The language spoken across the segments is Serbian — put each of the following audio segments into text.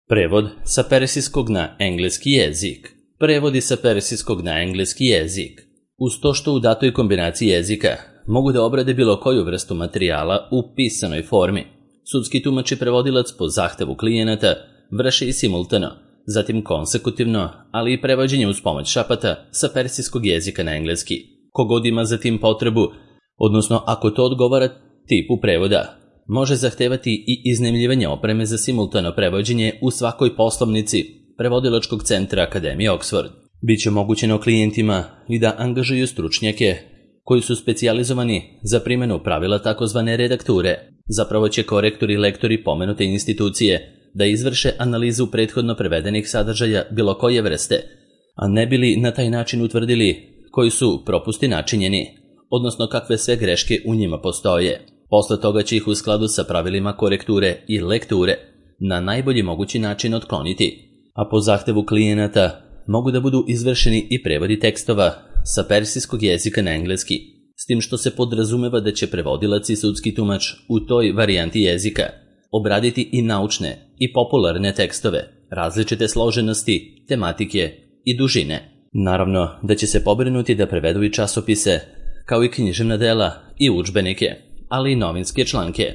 Prevod sa persijskog na engleski jezik. Prevodi sa persijskog na engleski jezik. Uz to što u datoj kombinaciji jezika mogu da obrade bilo koju vrstu materijala u pisanoj formi. Sudski tumač i prevodilac po zahtevu klijenata vrše i simultano, zatim konsekutivno, ali i prevođenje uz pomoć šapata sa persijskog jezika na engleski. Kogod ima za tim potrebu, odnosno ako to odgovara tipu prevoda, može zahtevati i iznajmljivanje opreme za simultano prevođenje u svakoj poslovnici prevodilačkog centra Akademije Oxford. Biće omogućeno klijentima i da angažuju stručnjake koji su specijalizovani za primjenu pravila takozvane redakture. Zapravo će korektori i lektori pomenute institucije da izvrše analizu prethodno prevedenih sadržaja bilo koje vrste, a ne bili na taj način utvrdili koji su propusti načinjeni, odnosno kakve sve greške u njima postoje. Posle toga će ih u skladu sa pravilima korekture i lekture na najbolji mogući način otkloniti, a po zahtevu klijenata mogu da budu izvršeni i prevodi tekstova sa persijskog jezika na engleski, s tim što se podrazumeva da će prevodilac i sudski tumač u toj varijanti jezika obraditi i naučne i popularne tekstove, različite složenosti, tematike i dužine. Naravno da će se pobrinuti da prevedu i časopise, kao i književna dela i udžbenike, ali i novinske članke.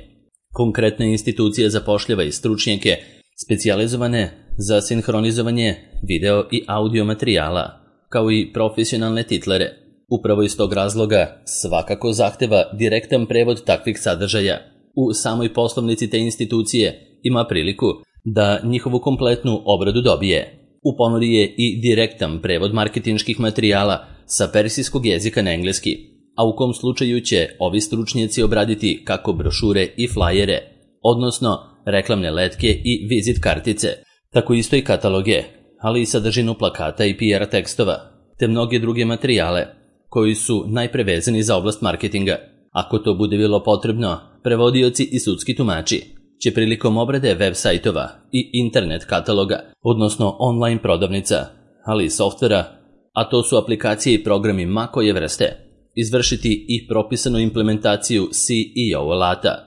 Konkretna institucija zapošljava i stručnjake specijalizovane za sinhronizovanje video i audio materijala, kao i profesionalne titlere. Upravo iz tog razloga svakako zahteva direktan prevod takvih sadržaja. U samoj poslovnici te institucije ima priliku da njihovu kompletnu obradu dobije. U ponudi je i direktan prevod marketinških materijala sa persijskog jezika na engleski, a u kom slučaju će ovi stručnjaci obraditi kako brošure i flajere, odnosno reklamne letke i vizit kartice, tako isto i kataloge, ali i sadržinu plakata i PR tekstova, te mnoge druge materijale koji su najprevezani za oblast marketinga. Ako to bude bilo potrebno, prevodioci i sudski tumači će prilikom obrade web sajtova i internet kataloga, odnosno online prodavnica, ali i softvera, a to su aplikacije i programi ma koje vrste, izvršiti i propisanu implementaciju SEO alata,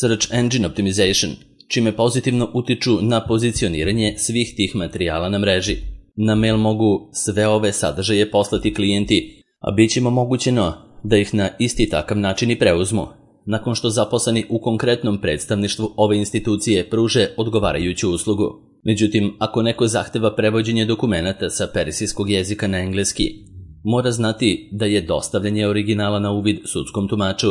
Search Engine Optimization, čime pozitivno utiču na pozicioniranje svih tih materijala na mreži. Na mail mogu sve ove sadržaje poslati klijenti, a bit će im omogućeno da ih na isti takav način i preuzmu, nakon što zaposleni u konkretnom predstavništvu ove institucije pruže odgovarajuću uslugu. Međutim, ako neko zahteva prevođenje dokumenata sa persijskog jezika na engleski, mora znati da je dostavljanje originala na uvid sudskom tumaču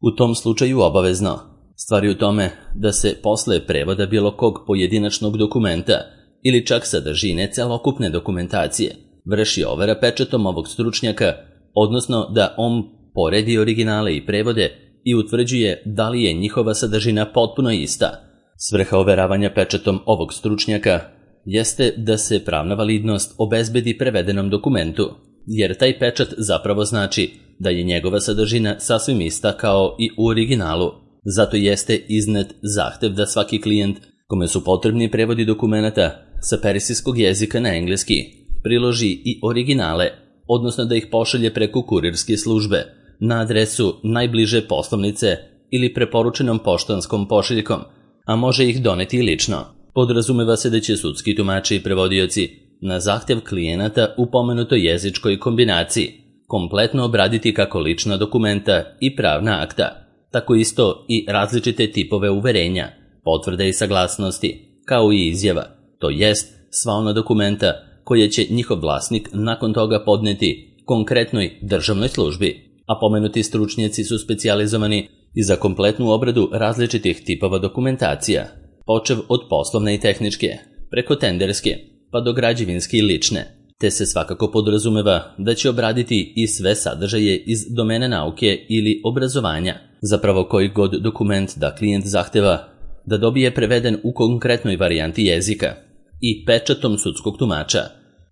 u tom slučaju obavezno. Stvar je u tome da se posle prevoda bilo kog pojedinačnog dokumenta ili čak sadržine celokupne dokumentacije vrši overa pečatom ovog stručnjaka, odnosno da on poredi originale i prevode i utvrđuje da li je njihova sadržina potpuno ista. Svrha overavanja pečatom ovog stručnjaka jeste da se pravna validnost obezbedi prevedenom dokumentu, jer taj pečat zapravo znači da je njegova sadržina sasvim ista kao i u originalu. Zato jeste iznet zahtev da svaki klijent kome su potrebni prevodi dokumenata sa persijskog jezika na engleski priloži i originale, odnosno da ih pošalje preko kurirske službe na adresu najbliže poslovnice ili preporučenom poštanskom pošiljkom, a može ih doneti i lično. Podrazumeva se da će sudski tumači i prevodioci na zahtev klijenata u pomenutoj jezičkoj kombinaciji kompletno obraditi kako lična dokumenta i pravna akta, tako isto i različite tipove uverenja, potvrde i saglasnosti, kao i izjava, to jest sva ona dokumenta koje će njihov vlasnik nakon toga podneti konkretnoj državnoj službi, a pomenuti stručnjaci su specijalizovani i za kompletnu obradu različitih tipova dokumentacija, počev od poslovne i tehničke, preko tenderske, pa do građevinske i lične, te se svakako podrazumeva da će obraditi i sve sadržaje iz domene nauke ili obrazovanja, zapravo koji god dokument da klijent zahteva da dobije preveden u konkretnoj varijanti jezika i pečatom sudskog tumača,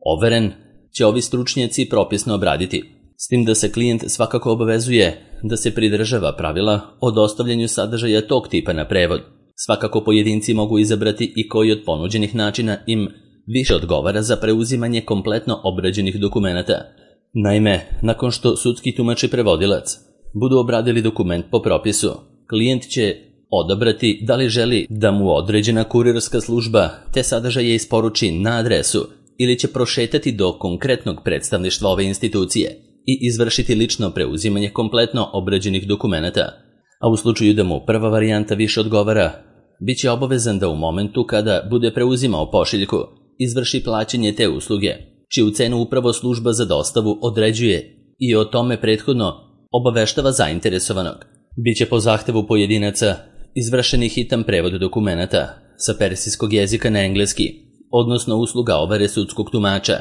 overen će ovi stručnjaci propisno obraditi, s tim da se klijent svakako obavezuje da se pridržava pravila o dostavljanju sadržaja tog tipa na prevod. Svakako pojedinci mogu izabrati i koji od ponuđenih načina im više odgovara za preuzimanje kompletno obrađenih dokumenata. Naime, nakon što sudski tumač i prevodilac budu obradili dokument po propisu, klijent će odabrati da li želi da mu određena kurirska služba te sadržaje isporuči na adresu ili će prošetati do konkretnog predstavništva ove institucije i izvršiti lično preuzimanje kompletno obrađenih dokumenata. A u slučaju da mu prva varijanta više odgovara, bit će obavezan da u momentu kada bude preuzimao pošiljku izvrši plaćanje te usluge, čiju cenu upravo služba za dostavu određuje i o tome prethodno obaveštava zainteresovanog. Biće po zahtevu pojedinaca izvršen i hitan prevod dokumenata sa persijskog jezika na engleski, odnosno usluga overe sudskog tumača,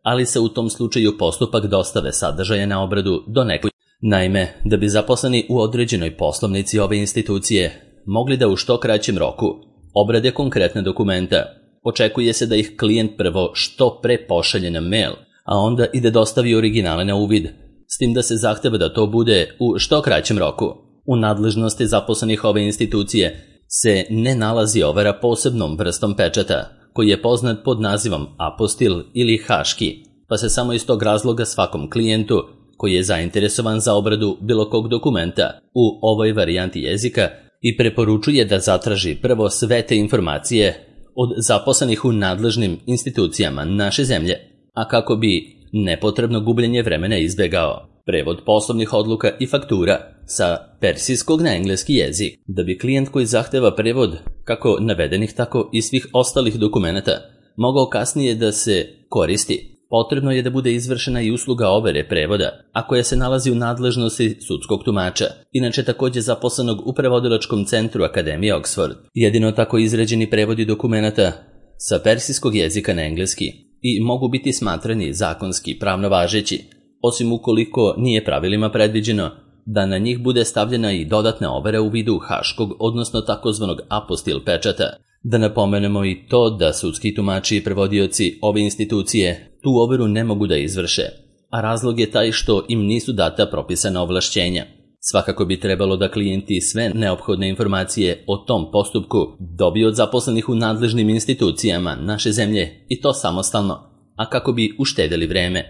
ali se u tom slučaju postupak dostave sadržaja na obradu do nekoj. Naime, da bi zaposleni u određenoj poslovnici ove institucije mogli da u što kraćem roku obrade konkretne dokumenta, očekuje se da ih klijent prvo što pre pošalje na mail, a onda i da dostavi originale na uvid, s tim da se zahteva da to bude u što kraćem roku. U nadležnosti zaposlenih ove institucije se ne nalazi overa posebnom vrstom pečata, koji je poznat pod nazivom apostil ili haški, pa se samo iz tog razloga svakom klijentu koji je zainteresovan za obradu bilo kog dokumenta u ovoj varijanti jezika i preporučuje da zatraži prvo sve te informacije od zaposlenih u nadležnim institucijama naše zemlje, a kako bi nepotrebno gubljenje vremena izbjegao. Prevod poslovnih odluka i faktura sa persijskog na engleski jezik. Da bi klijent koji zahteva prevod kako navedenih tako i svih ostalih dokumenata mogao kasnije da se koristi, potrebno je da bude izvršena i usluga overe prevoda, a koja se nalazi u nadležnosti sudskog tumača, inače također zaposlenog u prevodilačkom centru Akademije Oxford. Jedino tako izrađeni prevodi dokumenata sa persijskog jezika na engleski i mogu biti smatrani zakonski pravno važeći, osim ukoliko nije pravilima predviđeno da na njih bude stavljena i dodatna overa u vidu haškog, odnosno takozvanog apostil pečata. Da napomenemo i to da sudski tumači i prevodioci ove institucije tu overu ne mogu da izvrše, a razlog je taj što im nisu data propisana ovlašćenja. Svakako bi trebalo da klijenti sve neophodne informacije o tom postupku dobiju od zaposlenih u nadležnim institucijama naše zemlje i to samostalno, a kako bi uštedeli vreme.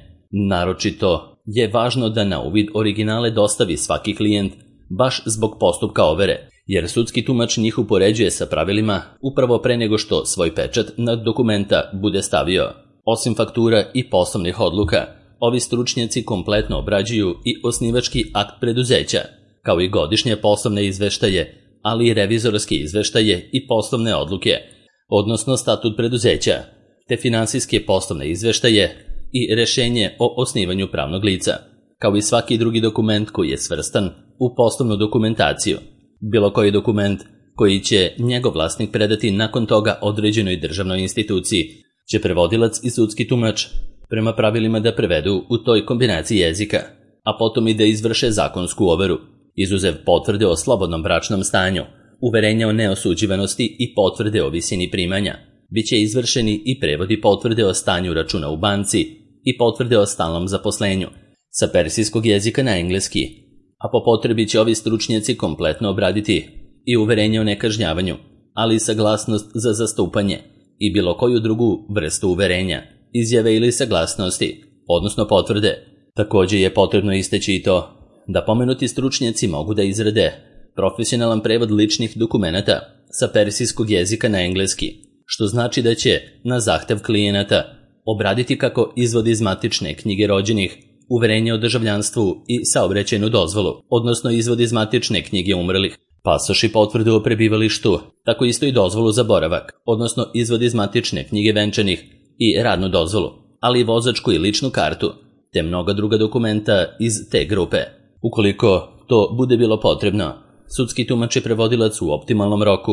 Naročito je važno da na uvid originale dostavi svaki klijent baš zbog postupka overe, jer sudski tumač njih upoređuje sa pravilima upravo pre nego što svoj pečat na dokumenta bude stavio. Osim faktura i poslovnih odluka, ovi stručnjaci kompletno obrađuju i osnivački akt preduzeća, kao i godišnje poslovne izveštaje, ali i revizorske izveštaje i poslovne odluke, odnosno statut preduzeća, te finansijske poslovne izveštaje i rešenje o osnivanju pravnog lica, kao i svaki drugi dokument koji je svrstan u poslovnu dokumentaciju. Bilo koji dokument koji će njegov vlasnik predati nakon toga određenoj državnoj instituciji će prevodilac i sudski tumač prema pravilima da prevedu u toj kombinaciji jezika, a potom i da izvrše zakonsku overu, izuzev potvrde o slobodnom bračnom stanju, uverenja o neosuđivanosti i potvrde o visini primanja. Biće izvršeni i prevodi potvrde o stanju računa u banci i potvrde o stalnom zaposlenju sa persijskog jezika na engleski, a po potrebi će ovi stručnjaci kompletno obraditi i uverenje o nekažnjavanju, ali i saglasnost za zastupanje i bilo koju drugu vrstu uverenja, izjave ili saglasnosti, odnosno potvrde. Također je potrebno istaći i to da pomenuti stručnjaci mogu da izrade profesionalan prevod ličnih dokumenata sa persijskog jezika na engleski, što znači da će na zahtev klijenata obraditi kako izvod iz matične knjige rođenih, uverenje o državljanstvu i saobraćajnu dozvolu, odnosno izvod iz matične knjige umrlih, pasoš i potvrdu o prebivalištu, tako isto i dozvolu za boravak, odnosno izvod iz matične knjige venčanih i radnu dozvolu, ali i vozačku i ličnu kartu, te mnoga druga dokumenta iz te grupe. Ukoliko to bude bilo potrebno, sudski tumač i prevodilac u optimalnom roku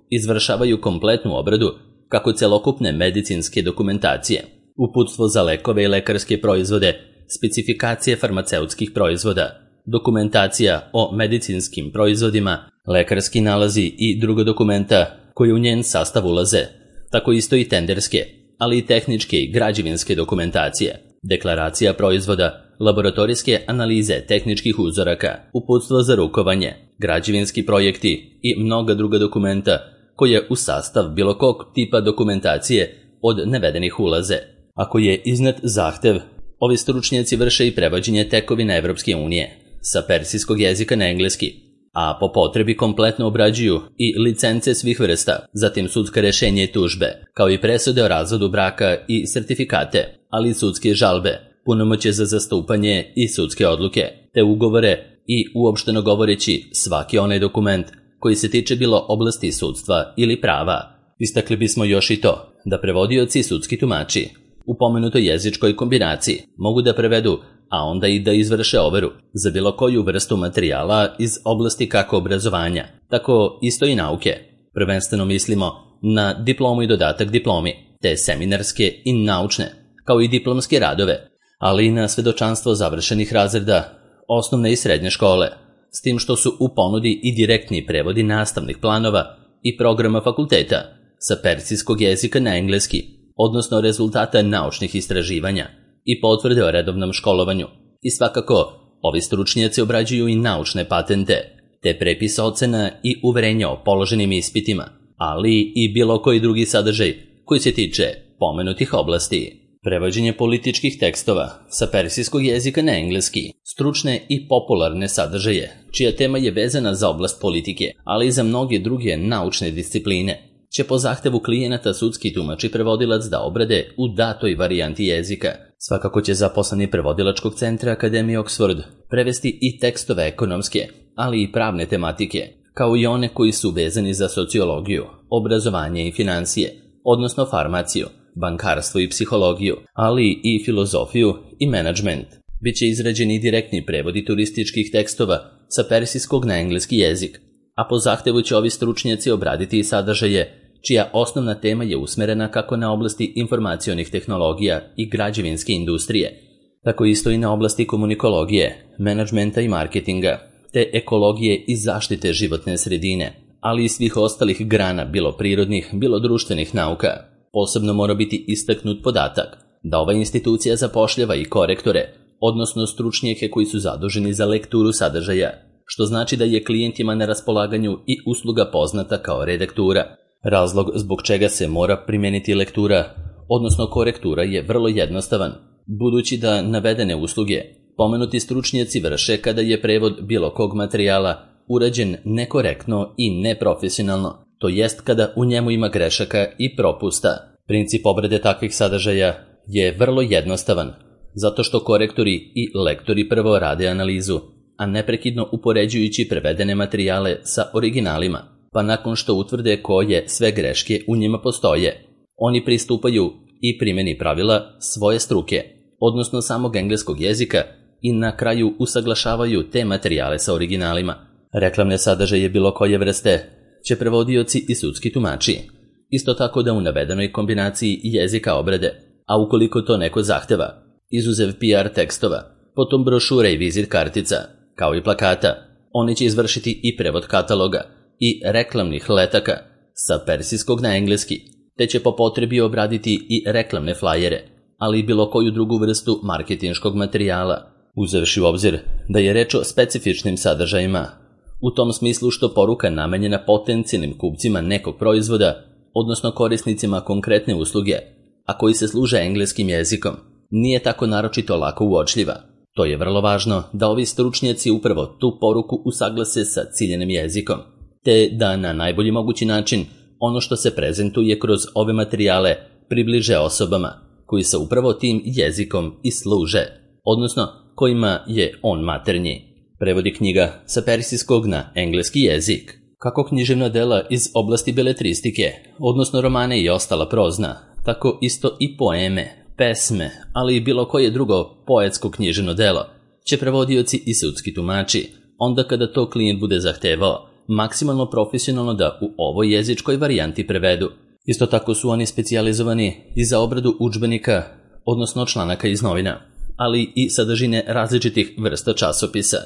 izvršavaju kompletnu obradu kako celokupne medicinske dokumentacije, uputstvo za lekove i lekarske proizvode, specifikacije farmaceutskih proizvoda, dokumentacija o medicinskim proizvodima, lekarski nalazi i druga dokumenta koji u njen sastav ulaze, tako isto i tenderske, ali i tehničke i građevinske dokumentacije, deklaracija proizvoda, laboratorijske analize tehničkih uzoraka, uputstvo za rukovanje, građevinski projekti i mnoga druga dokumenta koje u sastav bilo kog tipa dokumentacije od navedenih ulaze. Ako je iznet zahtev, ovi stručnjaci vrše i prevođenje tekovina Evropske unije sa persijskog jezika na engleski, a po potrebi kompletno obrađuju i licence svih vrsta, zatim sudska rešenja i tužbe, kao i presude o razvodu braka i sertifikate, ali i sudske žalbe, punomoćje za zastupanje i sudske odluke, te ugovore i, uopšteno govoreći, svaki onaj dokument koji se tiče bilo oblasti sudstva ili prava. Istakli bismo još i to da prevodioci i sudski tumači u pomenutoj jezičkoj kombinaciji mogu da prevedu, a onda i da izvrše overu za bilo koju vrstu materijala iz oblasti kako obrazovanja, tako isto i nauke. Prvenstveno mislimo na diplomu i dodatak diplomi, te seminarske i naučne, kao i diplomske radove, ali i na svedočanstvo završenih razreda osnovne i srednje škole, s tim što su u ponudi i direktni prevodi nastavnih planova i programa fakulteta sa persijskog jezika na engleski, odnosno rezultata naučnih istraživanja i potvrde o redovnom školovanju. I svakako, ovi stručnjaci obrađuju i naučne patente, te prepis ocena i uverenja o položenim ispitima, ali i bilo koji drugi sadržaj koji se tiče pomenutih oblasti. Prevođenje političkih tekstova sa persijskog jezika na engleski, stručne i popularne sadržaje, čija tema je vezana za oblast politike, ali i za mnoge druge naučne discipline, će po zahtevu klijenata sudski tumač i prevodilac da obrade u datoj varijanti jezika. Svakako će zaposleni prevodilačkog centra Akademije Oxford prevesti i tekstove ekonomske, ali i pravne tematike, kao i one koji su vezani za sociologiju, obrazovanje i financije, odnosno farmaciju, bankarstvo i psihologiju, ali i filozofiju i menadžment. Biće izrađeni direktni prevodi turističkih tekstova sa persijskog na engleski jezik, a po zahtevu će ovi stručnjaci obraditi i sadržaje čija osnovna tema je usmerena kako na oblasti informacionih tehnologija i građevinske industrije, tako isto i na oblasti komunikologije, menadžmenta i marketinga, te ekologije i zaštite životne sredine, ali i svih ostalih grana bilo prirodnih, bilo društvenih nauka. Posebno mora biti istaknut podatak da ova institucija zapošljava i korektore, odnosno stručnjake koji su zaduženi za lekturu sadržaja, što znači da je klijentima na raspolaganju i usluga poznata kao redaktura. Razlog zbog čega se mora primijeniti lektura, odnosno korektura, je vrlo jednostavan, budući da navedene usluge pomenuti stručnjaci vrše kada je prevod bilo kog materijala urađen nekorektno i neprofesionalno, to jest kada u njemu ima grešaka i propusta. Princip obrade takvih sadržaja je vrlo jednostavan, zato što korektori i lektori prvo rade analizu, a neprekidno upoređujući prevedene materijale sa originalima, pa nakon što utvrde koje sve greške u njima postoje, oni pristupaju i primjeni pravila svoje struke, odnosno samog engleskog jezika, i na kraju usaglašavaju te materijale sa originalima. Reklamne sadržaje bilo koje vrste će prevodioci i sudski tumači isto tako da u navedenoj kombinaciji jezika obrade, a ukoliko to neko zahteva, izuzev PR tekstova, potom brošure i vizit kartica, kao i plakata, oni će izvršiti i prevod kataloga i reklamnih letaka sa persijskog na engleski, te će po potrebi obraditi i reklamne flajere, ali i bilo koju drugu vrstu marketinškog materijala, uzevši u obzir da je reč o specifičnim sadržajima, u tom smislu što poruka namenjena potencijalnim kupcima nekog proizvoda, odnosno korisnicima konkretne usluge, a koji se služe engleskim jezikom, nije tako naročito lako uočljiva. To je vrlo važno da ovi stručnjaci upravo tu poruku usaglase sa ciljenim jezikom, te da na najbolji mogući način ono što se prezentuje kroz ove materijale približe osobama koji se upravo tim jezikom i služe, odnosno kojima je on maternji. Prevodi knjiga sa persijskog na engleski jezik. Kako književna dela iz oblasti beletristike, odnosno romane i ostala prozna, tako isto i poeme, pesme, ali i bilo koje drugo poetsko književno delo, će prevodioci i sudski tumači, onda kada to klijent bude zahtevao, maksimalno profesionalno da u ovoj jezičkoj varijanti prevedu. Isto tako su oni specijalizovani i za obradu udžbenika, odnosno članaka iz novina, ali i sadržine različitih vrsta časopisa,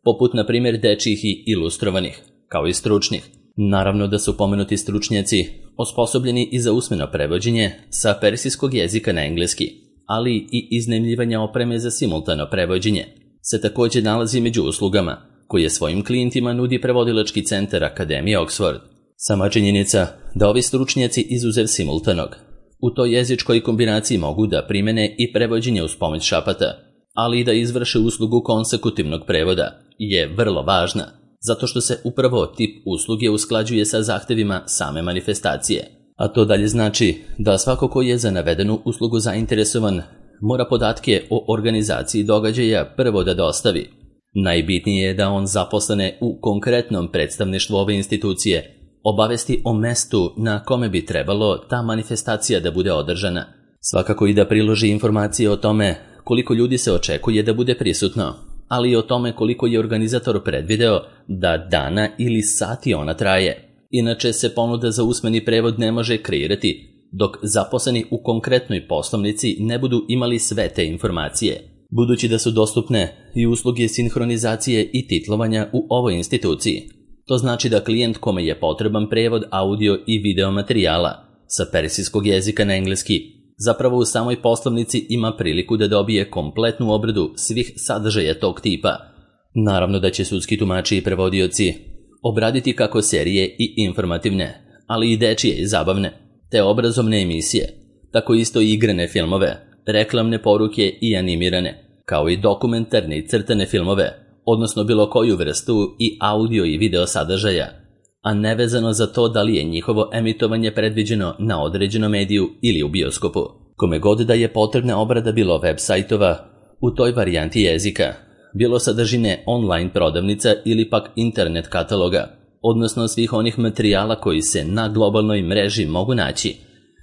poput na primjer dečjih i ilustrovanih, kao i stručnih. Naravno da su pomenuti stručnjaci osposobljeni i za usmeno prevođenje sa persijskog jezika na engleski, ali i iznajmljivanja opreme za simultano prevođenje se također nalazi među uslugama koje svojim klijentima nudi prevodilački centar Akademije Oxford. Sama činjenica da ovi stručnjaci izuzev simultanog u toj jezičkoj kombinaciji mogu da primene i prevođenje uz pomoć šapata, ali i da izvrše uslugu konsekutivnog prevoda, je vrlo važna, zato što se upravo tip usluge usklađuje sa zahtevima same manifestacije. A to dalje znači da svako ko je za navedenu uslugu zainteresovan mora podatke o organizaciji događaja prvo da dostavi. Najbitnije je da on zaposlene u konkretnom predstavništvu ove institucije obavesti o mestu na kome bi trebalo ta manifestacija da bude održana. Svakako i da priloži informacije o tome koliko ljudi se očekuje da bude prisutno, ali i o tome koliko je organizator predvideo da dana ili sati ona traje. Inače se ponuda za usmeni prevod ne može kreirati dok zaposleni u konkretnoj poslovnici ne budu imali sve te informacije. Budući da su dostupne i usluge sinhronizacije i titlovanja u ovoj instituciji. To znači da klijent kome je potreban prevod audio i video materijala sa persijskog jezika na engleski zapravo u samoj poslovnici ima priliku da dobije kompletnu obradu svih sadržaja tog tipa. Naravno da će sudski tumači i prevodioci obraditi kako serije i informativne, ali i dečije i zabavne, te obrazovne emisije, tako isto i igrane filmove, reklamne poruke i animirane, kao i dokumentarne i crtane filmove, odnosno bilo koju vrstu i audio i video sadržaja, a nevezano za to da li je njihovo emitovanje predviđeno na određenom mediju ili u bioskopu. Kome god da je potrebna obrada bilo web sajtova u toj varijanti jezika, bilo sadržine online prodavnica ili pak internet kataloga, odnosno svih onih materijala koji se na globalnoj mreži mogu naći,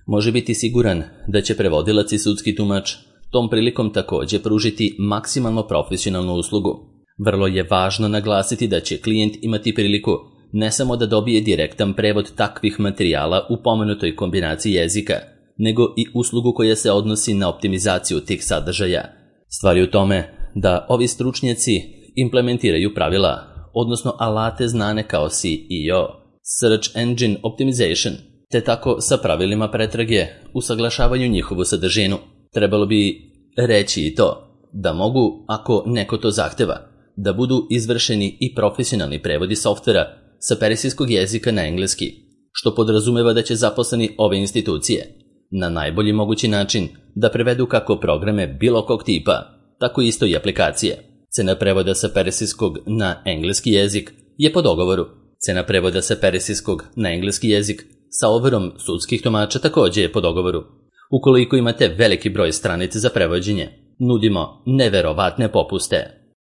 može biti siguran da će prevodilac i sudski tumač tom prilikom također pružiti maksimalno profesionalnu uslugu. Vrlo je važno naglasiti da će klijent imati priliku ne samo da dobije direktan prevod takvih materijala u pomenutoj kombinaciji jezika, nego i uslugu koja se odnosi na optimizaciju tih sadržaja. Stvar je u tome da ovi stručnjaci implementiraju pravila, odnosno alate znane kao SEO, Search Engine Optimization, te tako sa pravilima pretrage usaglašavaju njihovu sadržinu. Trebalo bi reći i to da mogu, ako neko to zahteva, da budu izvršeni i profesionalni prevodi softvera sa persijskog jezika na engleski, što podrazumeva da će zaposleni ove institucije na najbolji mogući način da prevedu kako programe bilo kog tipa, tako isto i aplikacije. Cena prevoda sa persijskog na engleski jezik je po dogovoru. Cena prevoda sa persijskog na engleski jezik sa overom sudskih tumača također je po dogovoru. Ukoliko imate veliki broj stranica za prevođenje, nudimo neverovatne popuste.